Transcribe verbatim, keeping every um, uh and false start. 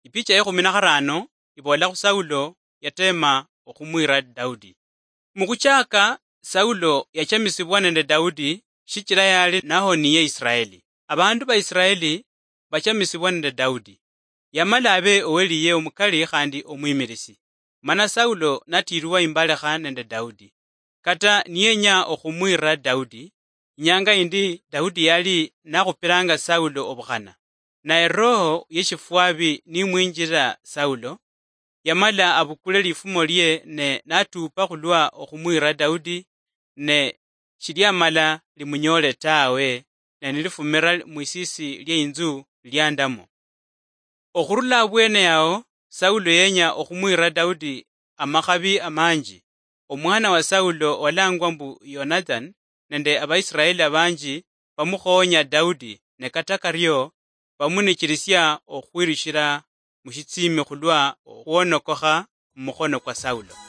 Ipicha yekhumi na kharano iboolakhu Saulo yateema okhumwiira Daudi. Mukhuchaaka, Saulo yachamisibwa nende Daudi shichila yali nahoniye Israeli. Abandu ba Israeli bachamisibwa nende Daudi. Yamala abe oweliye omukali khandi omwimirisi. Mana Saulo natiirwa imbalekha nende Daudi. Kata niyenya okhumwiira Daudi, inyanga yindi Daudi yali nakhupiranga Saulo obukhana. Naye roho yeshifwabi nimwinjira Saulo, yamala abukule lifumo lie ne natuupa khulwa okhumwiira Daudi, ne shiliamala limunyoole tawe, ne nilifumira mwisiisi lie inzu liandamo. Okhurula abwene yao, Saulo yenya okhumwiira Daudi amakhabi amanji. Omwana wa Saulo walangwa mbu Yonathan nende Abaisiraeli abanji bamukhoonya Daudi, ne kata kario bamunichirisia okhwirishira mushitsiimi khulwa okhwonokokha mumukhono kwa Saulo.